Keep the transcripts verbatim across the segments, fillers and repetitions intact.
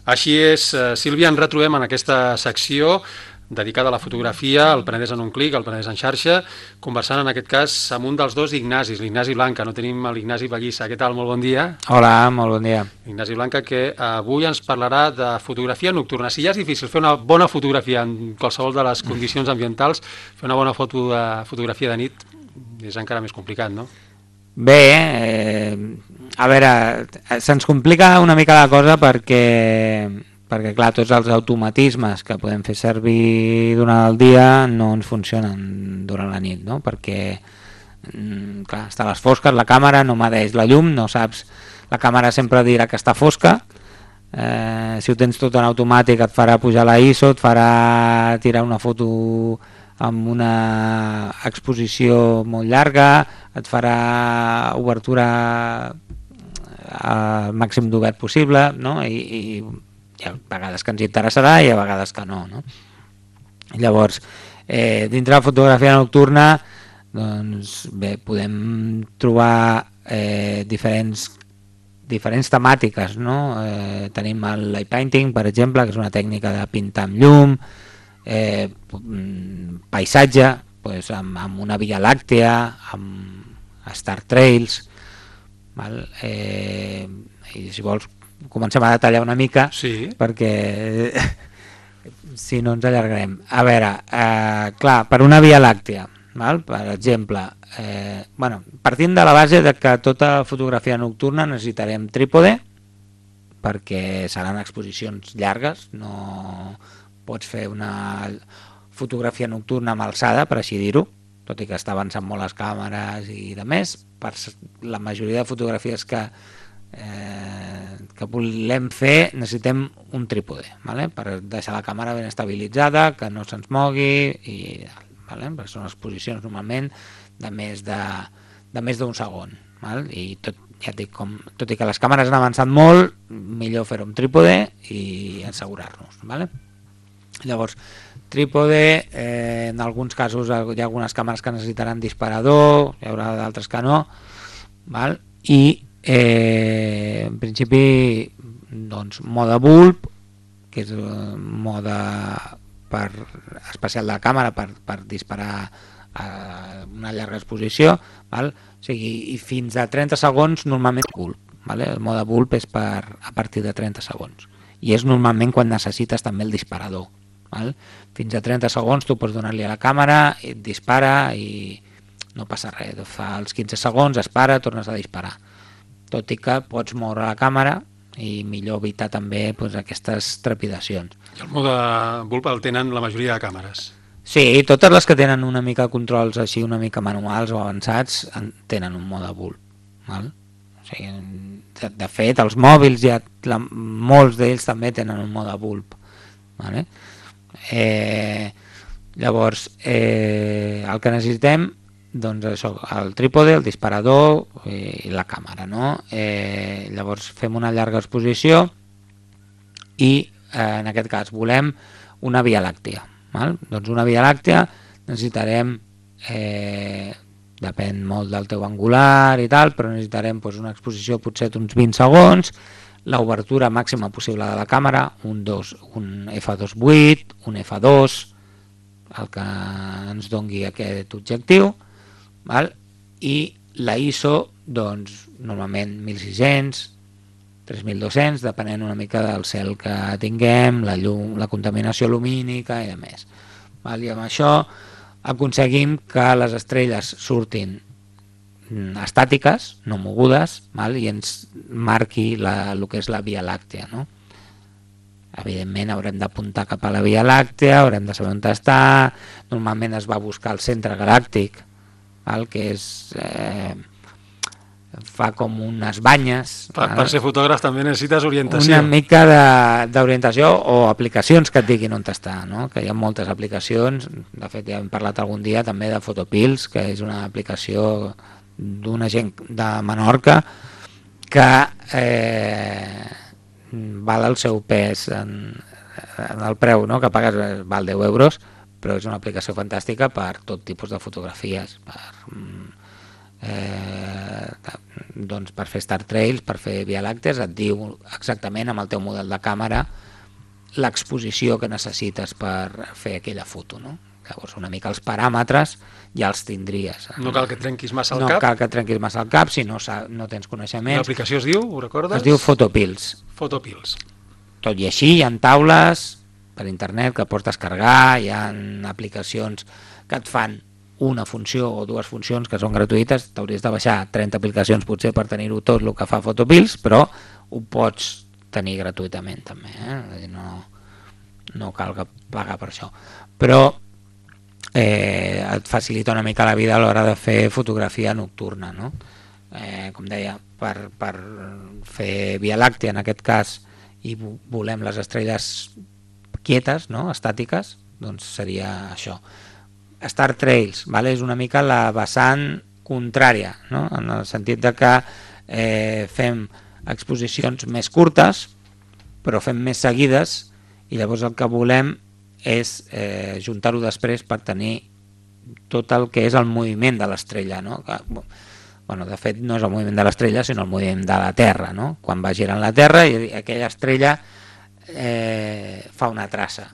Així és, Sílvia, ens retrobem en aquesta secció dedicada a la fotografia, al Penedès en un clic, al Penedès en xarxa, conversant en aquest cas amb un dels dos Ignacis, l'Ignasi Blanca. No tenim l'Ignasi Ballissa. Què tal? Molt bon dia. Hola, molt bon dia. Ignasi Blanca, que avui ens parlarà de fotografia nocturna. Si ja és difícil fer una bona fotografia en qualsevol de les condicions ambientals, fer una bona foto de fotografia de nit és encara més complicat, no? Bé, eh, a veure, se'ns complica una mica la cosa perquè, perquè clar, tots els automatismes que podem fer servir durant el dia no ens funcionen durant la nit, no? Perquè clar, està a les fosques, la càmera no medeix la llum, no saps, la càmera sempre dirà que està fosca, eh, si ho tens tot en automàtic et farà pujar la I S O, et farà tirar una foto amb una exposició molt llarga, et farà obertura al màxim d'obert possible, no? I, i hi ha vegades que ens interessarà i hi ha vegades que no, no? Llavors, eh, dintre la fotografia nocturna, doncs bé, podem trobar eh, diferents diferents temàtiques, no? Eh, tenim el light painting, per exemple, que és una tècnica de pintar amb llum, eh, paisatge, doncs amb, amb una via làctea, amb Star Trails, val? Eh, i si vols comencem a detallar una mica, sí, perquè si no ens allargarem. A veure, eh, clar, per una via làctea, val? Per exemple, eh, bueno, partint de la base de que tota fotografia nocturna necessitarem trípode, perquè seran exposicions llargues, no pots fer una fotografia nocturna amb alçada, per així dir-ho, tot i que està avançant molt les càmeres i de més. Per la majoria de fotografies que, eh, que volem fer necessitem un trípode, ¿vale? Per deixar la càmera ben estabilitzada, que no se'ns mogui, i, ¿vale? Perquè són exposicions normalment de més de, de més d'un segon, ¿vale? I tot, ja et dic, com, tot i que les càmeres han avançat molt, millor fer-ho amb trípode i assegurar-nos, ¿vale? Llavors, trípode, eh, en alguns casos hi ha algunes càmeres que necessitaran disparador, hi haurà d'altres que no, val? I eh, en principi doncs, mode bulb, que és mode per, especial de la càmera per, per disparar a una llarga exposició, val? O sigui, i fins a trenta segons normalment bulb, vale? El mode bulb és per, a partir de trenta segons i és normalment quan necessites també el disparador, val? Fins a trenta segons tu pots donar-li a la càmera, et dispara i no passa res, fa els quinze segons, es para, tornes a disparar, tot i que pots moure la càmera i millor evitar també doncs, aquestes trepidacions. I el mode bulb el tenen la majoria de càmeres? Sí, totes les que tenen una mica controls així una mica manuals o avançats tenen un mode bulb, val? O sigui, de, de fet els mòbils ja, la, molts d'ells també tenen un mode bulb, vale? Eh, llavors eh, el que necessitem doncs això, el trípode, el disparador i la càmera, no? Eh, llavors fem una llarga exposició i eh, en aquest cas volem una via làctea, val? Doncs una via làctea necessitarem eh, depèn molt del teu angular i tal, però necessitarem doncs, una exposició potser d'uns vint segons, l'obertura màxima possible de la càmera, un, dos, un efa dos coma vuit, un efa dos, el que ens dongui aquest objectiu, val? I la I S O, doncs, normalment mil sis-cents, tres mil dos-cents, depenent una mica del cel que tinguem, la llum, la contaminació lumínica i de més. Val? I amb això aconseguim que les estrelles surtin estàtiques, no mogudes, val? I ens marqui la, el que és la via làctea, no? Evidentment haurem d'apuntar cap a la via làctea, haurem de saber on està, normalment es va buscar el centre galàctic, val? Que és eh, fa com unes banyes. Per, per ser fotògraf també necessites orientació. Una mica d'orientació o aplicacions que et diguin on està, no? Que hi ha moltes aplicacions, de fet ja hem parlat algun dia també de Photopills, que és una aplicació d'una gent de Menorca que eh, val el seu pes en, en el preu, no? Que pagues, val deu euros, però és una aplicació fantàstica per tot tipus de fotografies, per eh, doncs per fer Star Trails, per fer Via Làctees, et diu exactament amb el teu model de càmera l'exposició que necessites per fer aquella foto, no? Llavors una mica els paràmetres ja els tindries. No cal que trenquis massa el no cap. No cal que trenquis massa el cap si no, no tens coneixements. L'aplicació es diu, ho recordes? Es diu Photopills. Photopills. Tot i així hi ha taules per internet que pots descarregar, hi ha aplicacions que et fan una funció o dues funcions que són gratuïtes, t'hauries de baixar trenta aplicacions potser per tenir-ho tot el que fa Photopills, però ho pots tenir gratuïtament també, eh? no, no cal que pagar per això, però eh, et facilita una mica la vida a l'hora de fer fotografia nocturna, no? Eh, com deia, per, per fer Via Làctea en aquest cas i volem les estrelles quietes, no? Estàtiques, doncs seria això. Star Trails, vale? És una mica la vessant contrària, no? En el sentit de que eh, fem exposicions més curtes però fem més seguides i llavors el que volem és eh, juntar-ho després per tenir tot el que és el moviment de l'estrella, no? Que, bueno, de fet no és el moviment de l'estrella sinó el moviment de la Terra, no? Quan va girant la Terra i aquella estrella eh, fa una traça,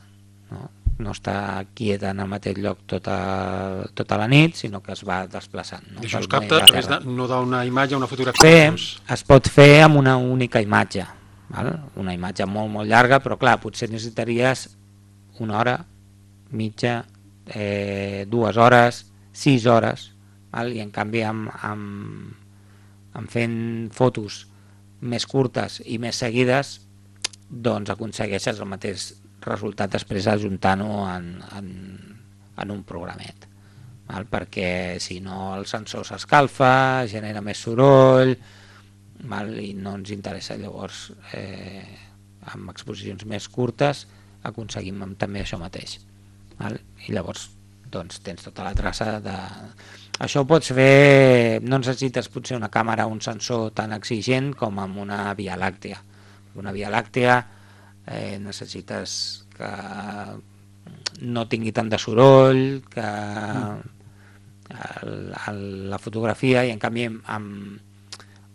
no? No està quieta en el mateix lloc tota, tota la nit, sinó que es va desplaçant. No? I això es capta a través de, no d'una imatge, una fotografia. Fer, es pot fer amb una única imatge, val? Una imatge molt, molt llarga, però clar, potser necessitaries una hora, mitja, eh, dues hores, sis hores, val? I en canvi amb, amb, amb fent fotos més curtes i més seguides, doncs aconsegueixes el mateix resultat després ajuntant-ho en, en, en un programet, val? Perquè si no el sensor s'escalfa, genera més soroll, val? I no ens interessa. Llavors eh, amb exposicions més curtes aconseguim també això mateix, val? I llavors doncs, tens tota la traça de... Això ho pots fer, no necessites potser una càmera o un sensor tan exigent com amb una Via Làctea. Una Via Làctea Eh, necessites que no tingui tant de soroll, que el, el, la fotografia, i en canvi amb,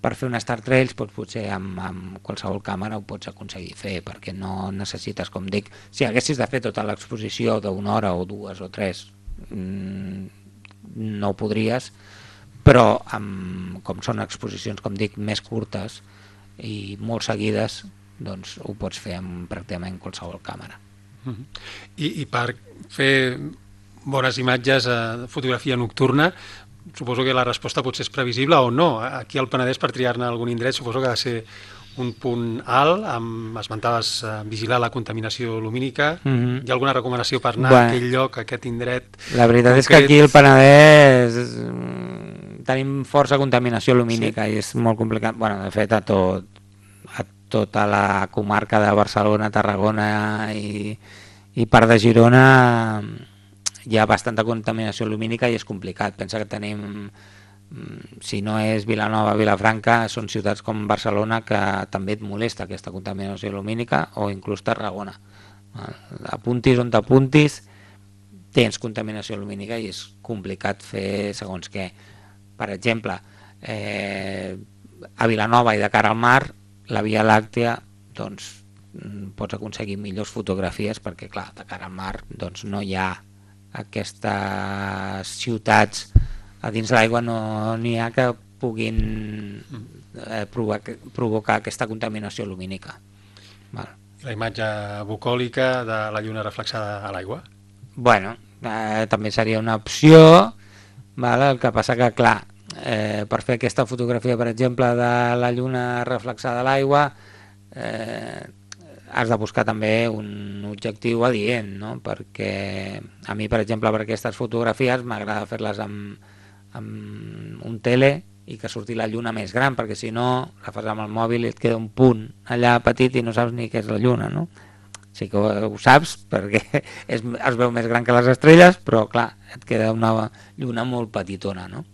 per fer un Star Trails doncs, potser amb, amb qualsevol càmera ho pots aconseguir fer, perquè no necessites, com dic, si haguessis de fer tota l'exposició d'una hora o dues o tres mmm, no ho podries, però amb, com són exposicions, com dic, més curtes i molt seguides, doncs ho pots fer amb pràcticament qualsevol càmera. Uh-huh. I, I per fer bones imatges a fotografia nocturna, suposo que la resposta potser és previsible o no. Aquí al Penedès, per triar-ne algun indret, suposo que ha de ser un punt alt, amb, esmentaves eh, vigilar la contaminació lumínica. Uh-huh. Hi ha alguna recomanació per anar bueno, a aquell lloc, a aquest indret? La veritat concret? És que aquí al Penedès tenim força contaminació lumínica, sí? I és molt complicat. Bueno, de fet, a tot tota la comarca de Barcelona, Tarragona i, i part de Girona hi ha bastanta contaminació lumínica i és complicat. Pensa que tenim, si no és Vilanova, Vilafranca, són ciutats com Barcelona que també et molesta aquesta contaminació lumínica, o inclús Tarragona. Apuntis on t'apuntis, tens contaminació lumínica i és complicat fer segons què. Per exemple, eh, a Vilanova i de cara al mar, la Via Làctea, doncs, pots aconseguir millors fotografies perquè, clar, de cara al mar doncs, no hi ha aquestes ciutats a dins l'aigua, no n'hi ha que puguin eh, provocar, provocar aquesta contaminació lumínica. Val. La imatge bucòlica de la lluna reflexada a l'aigua? Bueno, eh, també seria una opció, val? El que passa que, clar, Eh, per fer aquesta fotografia, per exemple, de la lluna reflexada a l'aigua, eh, has de buscar també un objectiu adient, no? Perquè a mi, per exemple, per aquestes fotografies m'agrada fer-les amb, amb un tele i que surti la lluna més gran, perquè si no la fas amb el mòbil i et queda un punt allà petit i no saps ni què és la lluna, no? Sí que ho, ho saps perquè és, es veu més gran que les estrelles, però clar, et queda una lluna molt petitona, no?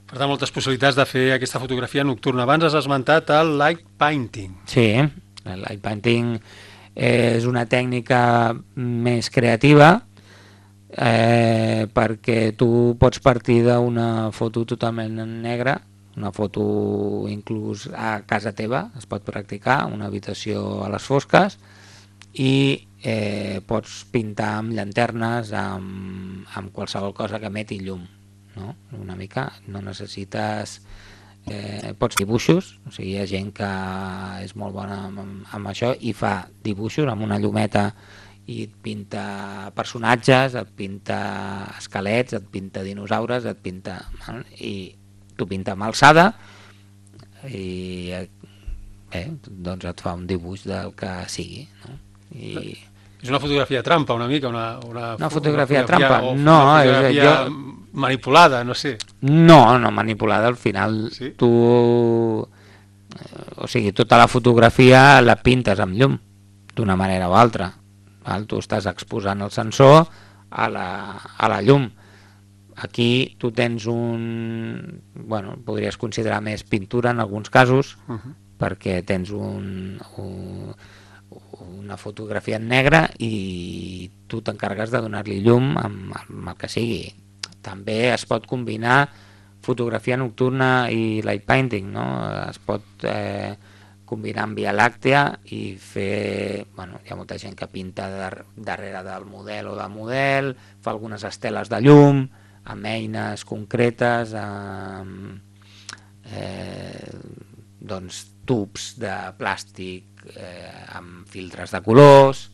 Per tant, moltes possibilitats de fer aquesta fotografia nocturna. Abans has esmentat el light painting. Sí, el light painting és una tècnica més creativa eh, perquè tu pots partir d'una foto totalment negra, una foto inclús a casa teva, es pot practicar, una habitació a les fosques, i eh, pots pintar amb llanternes, amb, amb qualsevol cosa que emeti llum, no? Una mica, no necessites... Eh, pots dibuixos, o sigui, hi ha gent que és molt bona amb, amb això i fa dibuixos amb una llumeta i et pinta personatges, et pinta esquelets, et pinta dinosaures, et pinta... i t'ho pinta amb alçada i eh, doncs et fa un dibuix del que sigui, no? I... És una fotografia trampa, una mica, una, una, una fotografia, una fotografia trampa? o No, una fotografia és, jo... manipulada, no sé. No, no manipulada, al final sí? Tu... O sigui, tota la fotografia la pintes amb llum, d'una manera o altra. Val? Tu estàs exposant el sensor a la, a la llum. Aquí tu tens un... Bueno, podries considerar més pintura en alguns casos, uh -huh. perquè tens un... un una fotografia en negre i tu t'encarregues de donar-li llum amb, amb el que sigui. També es pot combinar fotografia nocturna i light painting, no? Es pot eh, combinar amb Via Làctea i fer... Bueno, hi ha molta gent que pinta dar darrere del model o del model, fa algunes esteles de llum, amb eines concretes, amb eh, doncs, tubs de plàstic eh, amb filtres de colors,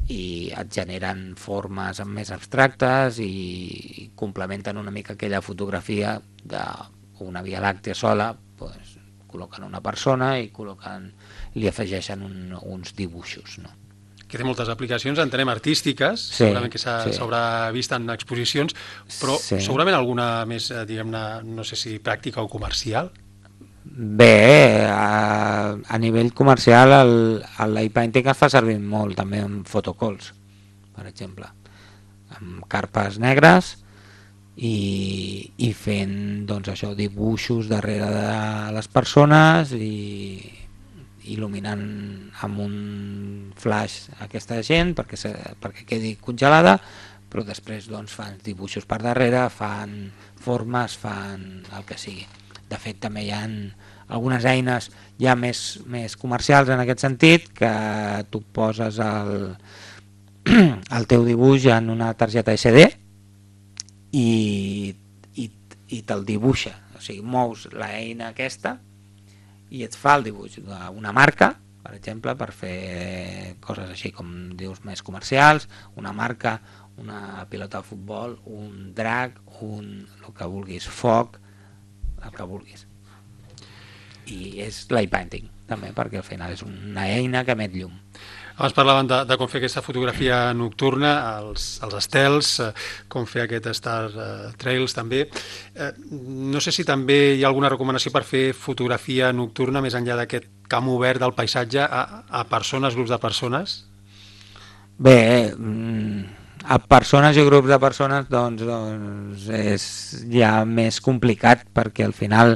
i et generen formes més abstractes i, i complementen una mica aquella fotografia d'una Via Làctea sola, pues, col·loquen una persona i col·loquen, li afegeixen un, uns dibuixos, no? Que té moltes aplicacions, entenem, artístiques, sí, segurament que s'haurà sí. vist en exposicions, però sí. segurament alguna més, diguem-ne, no sé si pràctica o comercial? Bé, a, a nivell comercial el, el light painting es fa servir molt també en photocalls, per exemple, amb carpes negres i, i fent doncs això, dibuixos darrere de les persones i il·luminant amb un flash aquesta gent perquè, se, perquè quedi congelada, però després doncs, fan dibuixos per darrere, fan formes, fan el que sigui. De fet, també hi ha algunes eines ja més, més comercials en aquest sentit, que tu poses el, el teu dibuix en una targeta esse de i, i, i te'l dibuixa. O sigui, mous l'eina aquesta i et fa el dibuix d'una marca, per exemple, per fer coses així com dius més comercials, una marca, una pilota de futbol, un drac, un, el que vulguis, foc, el que vulguis. I és light painting també, perquè al final és una eina que emet llum. Abans parlaven de, de com fer aquesta fotografia nocturna, els, els estels, eh, com fer aquest Star eh, Trails també. Eh, no sé si també hi ha alguna recomanació per fer fotografia nocturna més enllà d'aquest camp obert del paisatge a, a persones, grups de persones? Bé, a persones i grups de persones doncs, doncs és ja més complicat, perquè al final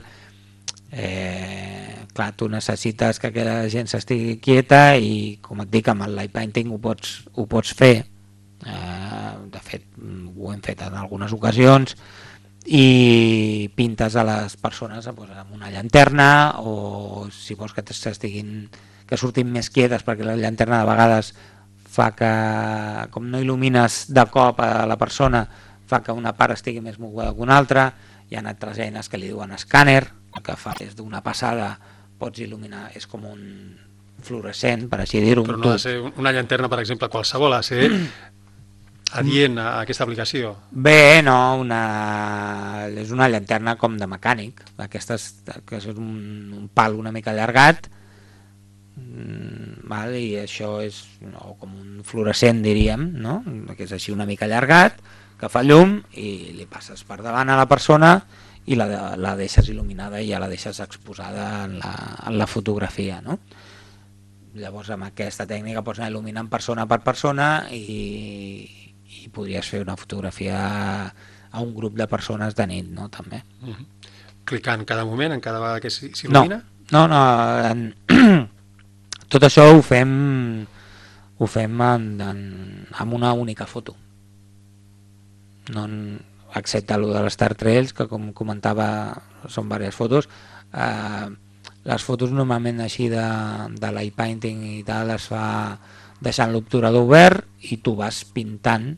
eh, clar, tu necessites que aquella gent s'estigui quieta i, com et dic, amb el light painting ho pots, ho pots fer. Eh, de fet, ho hem fet en algunes ocasions, i pintes a les persones doncs, amb una llanterna, o si vols que s'estiguin, que surtin més quietes, perquè la llanterna de vegades fa que, com no il·lumines de cop a la persona, fa que una part estigui més moguda que una altra. Hi ha altres eines que li diuen escàner, que fa des d'una passada pots il·luminar, és com un fluorescent, per així dir-ho. Però no ha de ser una llanterna, per exemple, qualsevol, ha de ser adient a aquesta aplicació. Bé, no, una... és una llanterna com de mecànic, aquestes, que és un, un pal una mica allargat, val? I això és no, com un fluorescent, diríem, no? Que és així una mica allargat, que fa llum i li passes per davant a la persona i la, la deixes il·luminada i ja la deixes exposada en la, en la fotografia, no? Llavors amb aquesta tècnica pots anar il·luminant persona per persona i, i podries fer una fotografia a un grup de persones de nit, no? També. Uh-huh. Clicant cada moment, en cada vegada que s'il·lumina? No, no, no en... tot això ho fem ho fem en, en, en una única foto. no, excepte el de les Star Trails, que com comentava són diverses fotos. Eh, les fotos normalment així de, de light painting i tal es fa deixant l'obturador obert i tu vas pintant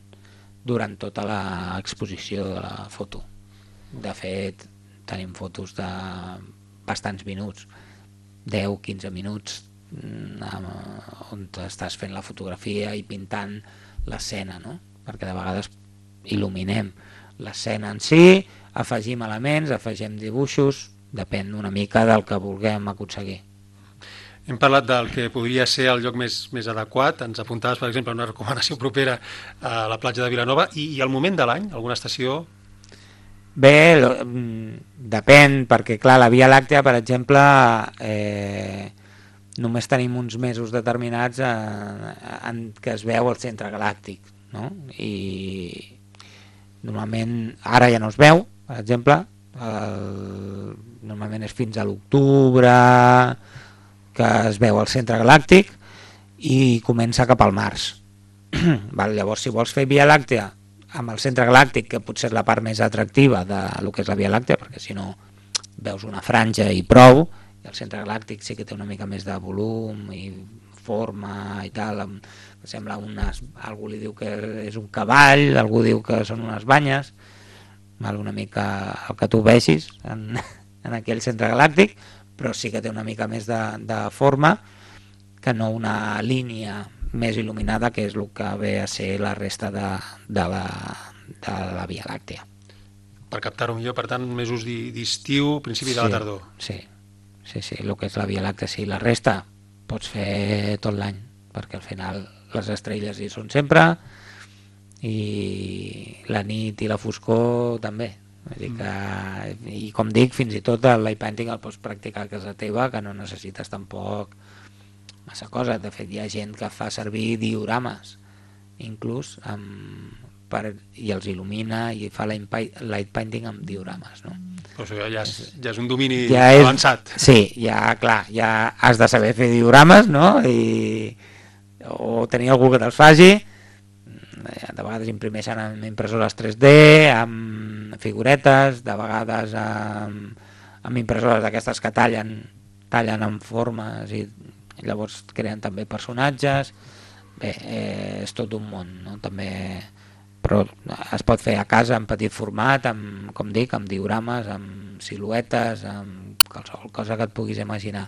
durant tota l'exposició de la foto. De fet, tenim fotos de bastants minuts, deu a quinze minuts, on estàs fent la fotografia i pintant l'escena, no? Perquè de vegades il·luminem l'escena en si, afegim elements, afegim dibuixos, depèn una mica del que vulguem aconseguir. Hem parlat del que podria ser el lloc més, més adequat, ens apuntaves, per exemple, una recomanació propera a la platja de Vilanova, i, i el moment de l'any, alguna estació? Bé, lo, depèn, perquè clar, la Via Làctea, per exemple, eh, només tenim uns mesos determinats en, en què es veu el centre galàctic, no? I normalment ara ja no es veu, per exemple, el, normalment és fins a l'octubre que es veu el centre galàctic i comença cap al març. Val, llavors, si vols fer Via Làctea amb el centre galàctic, que potser és la part més atractiva de lo que és la Via Làctea, perquè si no veus una franja i prou, i el centre galàctic sí que té una mica més de volum i forma i tal, em sembla unes, algú li diu que és un cavall, algú diu que són unes banyes, val, una mica el que tu vegis en, en aquell centre galàctic, però sí que té una mica més de, de forma que no una línia més il·luminada, que és el que ve a ser la resta de, de, la, de la Via Làctea. Per captar-ho millor, per tant, mesos d'estiu, principi sí, de la tardor. Sí, sí, sí, el que és la Via Làctea, sí. La resta pots fer tot l'any, perquè al final les estrelles hi són sempre i la nit i la foscor també. Vull dir que, i com dic, fins i tot el light painting el pots practicar a casa teva, que no necessites tampoc massa cosa. De fet, hi ha gent que fa servir diorames inclús amb, per, i els il·lumina i fa light painting amb diorames, no? Però això ja és, ja és un domini ja avançat. És, sí, ja, clar, ja has de saber fer diorames, no? I, o tenir algú que te'ls faci. De vegades imprimeixen amb impressores tres D, amb figuretes, de vegades amb, amb impressores d'aquestes que tallen, tallen en formes i llavors creen també personatges. Bé, eh, és tot un món, no? També, però es pot fer a casa en petit format, amb, com dic, amb diorames, amb siluetes, amb qualsevol cosa que et puguis imaginar.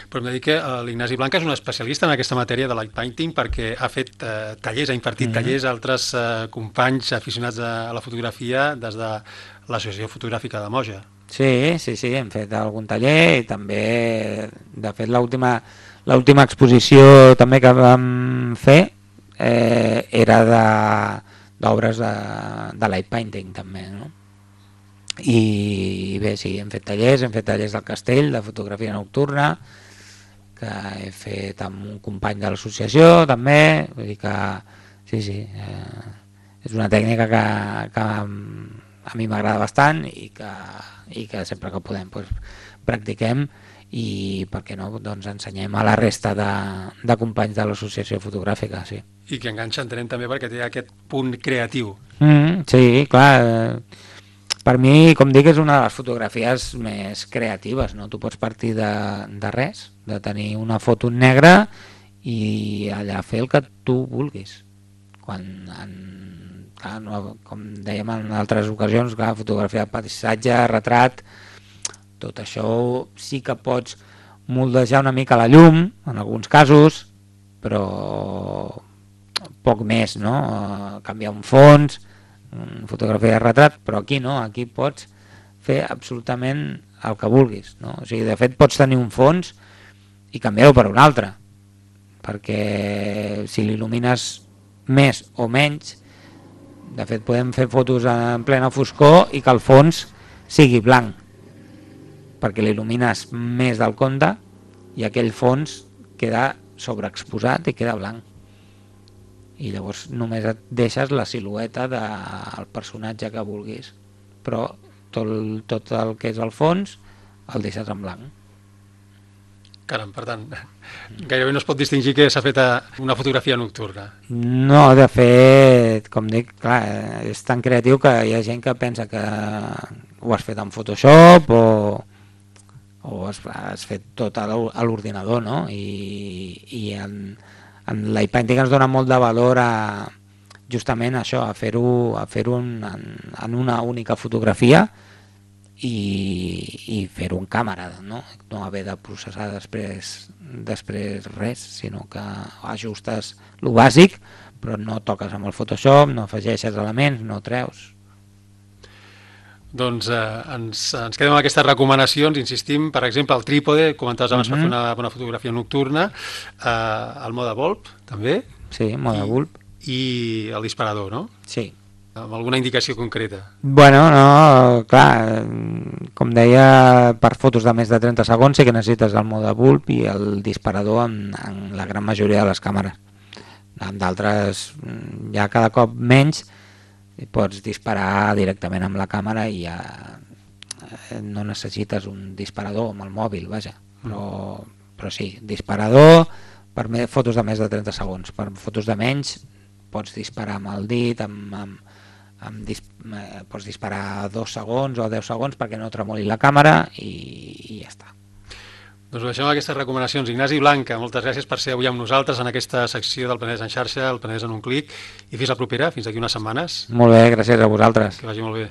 Però hem de dir que l'Ignasi Blanca és un especialista en aquesta matèria de light painting perquè ha fet eh, tallers, ha impartit mm-hmm. tallers a altres eh, companys aficionats a, a la fotografia des de l'Associació Fotogràfica de Moja. Sí, sí, sí, hem fet algun taller i també, de fet, l'última l'última exposició també que vam fer eh, era d'obres de, de, de light painting també, no? I bé, sí, hem fet tallers, hem fet tallers del castell, de fotografia nocturna, que he fet amb un company de l'associació també, vull dir que sí, sí, eh, és una tècnica que, que a mi m'agrada bastant i que, i que sempre que podem doncs, practiquem i per què no, doncs ensenyem a la resta de, de companys de l'associació fotogràfica, sí. I que enganxa, entenem també, perquè té aquest punt creatiu. Mm, sí, clar, eh, per mi, com dic, és una de les fotografies més creatives, no? Tu pots partir de, de res, de tenir una foto negra i allà fer el que tu vulguis. Quan, en, clar, no, com dèiem en altres ocasions, clar, fotografia de paisatge, retrat, tot això sí que pots moldejar una mica la llum, en alguns casos, però poc més, no? Canviar un fons, fotografia de retrat, però aquí no, aquí pots fer absolutament el que vulguis, no? O sigui, de fet pots tenir un fons i canviar-ho per un altre, perquè si l'il·lumines més o menys, de fet podem fer fotos en plena foscor i que el fons sigui blanc, perquè l'il·lumines més del compte i aquell fons queda sobreexposat i queda blanc. I llavors només et deixes la silueta del personatge que vulguis, però tot, tot el que és el fons el deixes en blanc. Caram, per tant, gairebé no es pot distingir que s'ha fet una fotografia nocturna. No, de fet, com dic, clar, és tan creatiu que hi ha gent que pensa que ho has fet en Photoshop o, o has, has fet tot a l'ordinador, no? I, i en, en l'iPainting ens dona molt de valor a justament això, a fer-ho a fer-ho en, en una única fotografia i, i fer-ho en càmera, no? No haver de processar després, després res, sinó que ajustes lo bàsic, però no toques amb el Photoshop, no afegeixes elements, no treus. Doncs eh, ens, ens quedem amb aquestes recomanacions, insistim, per exemple, el trípode, comentaves abans, uh-huh, per fer una, una fotografia nocturna, eh, el mode bulb, també. Sí, mode bulb. I el disparador, no? Sí. Amb alguna indicació concreta? Bueno, no, clar, com deia, per fotos de més de trenta segons sí que necessites el mode bulb i el disparador en, en la gran majoria de les càmeres. Amb d'altres, ja cada cop menys, pots disparar directament amb la càmera i ja no necessites un disparador amb el mòbil, vaja. Però, però sí, disparador per fotos de més de trenta segons. Per fotos de menys pots disparar amb el dit, amb, amb, amb dis, eh, pots disparar dos segons o deu segons perquè no tremoli la càmera i, i ja està. Doncs ho deixem amb aquestes recomanacions. Ignasi Blanca, moltes gràcies per ser avui amb nosaltres en aquesta secció del Penedès en xarxa, el Penedès en un clic, i fins la propera, fins d'aquí unes setmanes. Molt bé, gràcies a vosaltres. Que vagi molt bé.